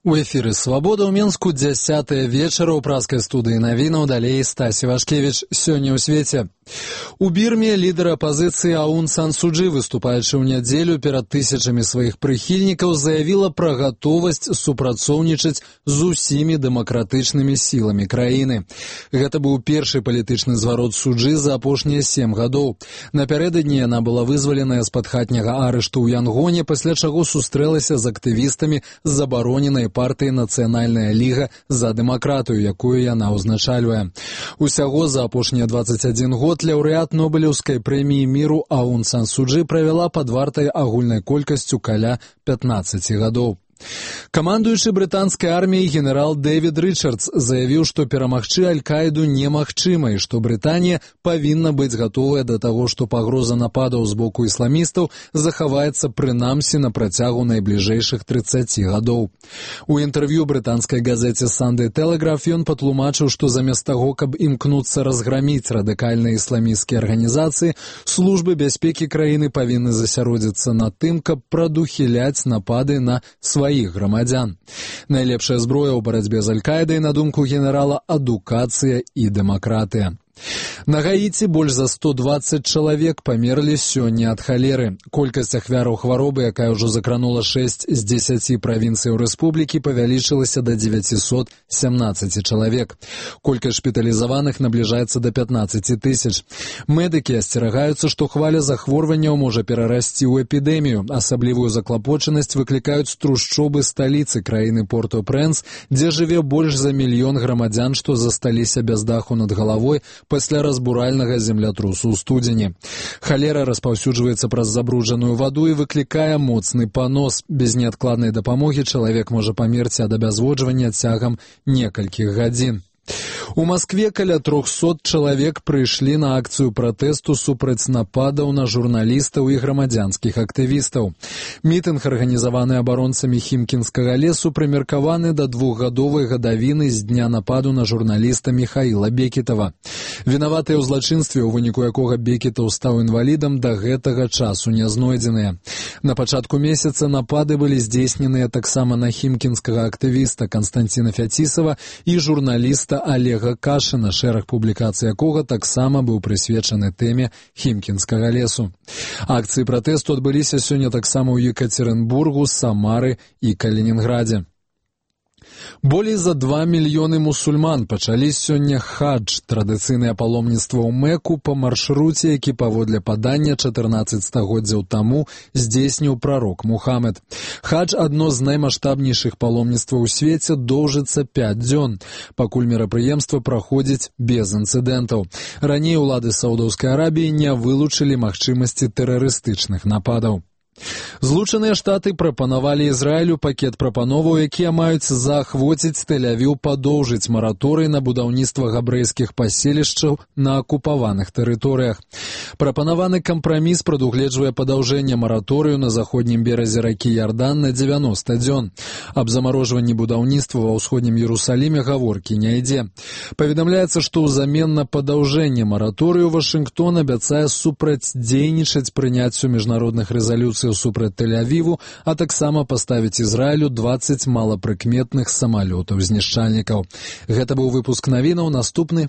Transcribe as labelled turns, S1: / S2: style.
S1: У эфіры «Свабода» ў Менску 10 вечара ў праскай студыі навінаў, далей Стасі Вашкевіч. Сёння ў свеце. У Бірме лідар апазіцыі Аун Сан Су Чжі, выступаючы ў нядзелю перад тысячамі сваіх прыхільнікаў, заявіла пра гатовасць супрацоўнічаць з усімі дэмакратычнымі сіламі краіны. Гэта быў першы палітычны зварот Суджы за апошнія 7 гадоў. Напярэдадні яна была вызваленая з-пад хатняга арышту ў Янгоне, пасля чаго сустрэлася з актывістамі з забароненай партыі «Нацыянальная ліга за дэмакратыю», якую яна ўзначальвае. Усяго за апошнія 21 год лаўрэат Нобелеўскай прэміі міру Аун Сан Су Чжі правяла пад вартай агульнай колькасцю каля 15 гадоў. Камандуючы брытанскай арміяй генерал Дэвід Рычардс заявіў, што перамагчы Аль-Каіду немагчыма і што Брытанія павінна быць гатовая да таго, што пагроза нападаў з боку ісламістаў захаваецца прынамсі на працягу найбліжэйшых 30 гадоў. У інтэрв'ю брытанскай газеце «Sunday Telegraph» ён патлумачыў, што замест таго, каб імкнуцца разграміць радыкальныя ісламісцкія арганізацыі, службы бяспекі краіны павінны засяродзіцца на тым, каб прадухіляць напады на сваіх грамадзян. Найлепшая зброя ў барацьбе з Аль-Каідай, на думку генерала, адукацыя і дэмакратыя. На Гаіці больш за 120 чалавек памерлі сёння ад халеры. Колькасць ахвяраў хваробы, якая ўжо закранула 6 з 10 правінцыяў рэспублікі, павялічылася да 917 чалавек. Колькасць шпіталізаваных набліжаецца да 15 тысяч. Медыкі асцерагаюцца, што хваля захворванняў можа перарасці ў эпідэмію. Асаблівую заклапочанасць выклікаюць трушчобы сталіцы краіны Порто-Прэнс, дзе жыве больш за 1 мільён грамадзян, што засталіся без даху над галавой пасля разбуральнага землятрусу ў студзені. Халера распаўсюджваецца праз забруджаную ваду і выклікае моцны панос. Без неадкладнай дапамогі чалавек можа памерці ад абязводжвання цягам некалькіх гадзін. У Маскве каля 300 чалавек прыйшлі на акцыю пратэсту супраць нападаў на журналістаў і грамадзянскіх актывістаў. Мітынг, арганізаваны абаронцамі Хімкінскага лесу, прымеркаваны да 2-гадовай гадавіны з дня нападу на журналіста Міхаіла Бекетава. Вінаватыя ў злачынстве, у выніку якога Бекетаў стаў інвалідам, да гэтага часу не знойдзеныя. На пачатку месяца напады былі здзейсненыя таксама на хімкінскага актывіста Канстанціна Фяцісава і журналіста Олега Кашына, шэраг публікацый якога таксама быў прысвечаны тэме Хімкінскага лесу. Акцыі пратэсту адбыліся сёння таксама ў Екатеринбургу, Самары і Калінінградзе. Болей за 2 мільёны мусульман пачалі сёння хадж, традыцыйнае паломніцтва ў Мекку па маршруце, які паводле падання 14 стагоддзяў таму здзейсніў прарок Мухаммед. Хадж – адно з наймаштабнейшых паломніцтваў у свеце, доўжыцца 5 дзён, пакуль мерапрыемства праходзіць без інцыдэнтаў. Раней улады Саудаўскай Арабіі не вылучылі магчымасці тэрарыстычных нападаў. Злучаныя Штаты прапанавалі Ізраілю пакет прапановаў, якія маюць заахвоціць Тель-Авіў падоўжыць мараторый на будаўніцтва габрэйскіх паселішчаў на акупаваных тэрыторыях. Прапанаваны кампраміс прадугледжвае падаўжэнне мараторыю на заходнім беразе ракі Ярдан на 90 дзён. Аб замарожванні будаўніцтва ва ўсходнім Іерусаліме гаворкі не ідзе. Паведамляецца, што ўзамен на падаўжэнне мараторыю Вашынгтон абяцае супрацьдзейнічаць прыняццю міжнародных рэзалюцый супраць Тель-Авіву, а таксама паставіць Ізраілю 20 малапрыкметных самалётаў-знішчальнікаў. Гэта быў выпуск навінаў, наступны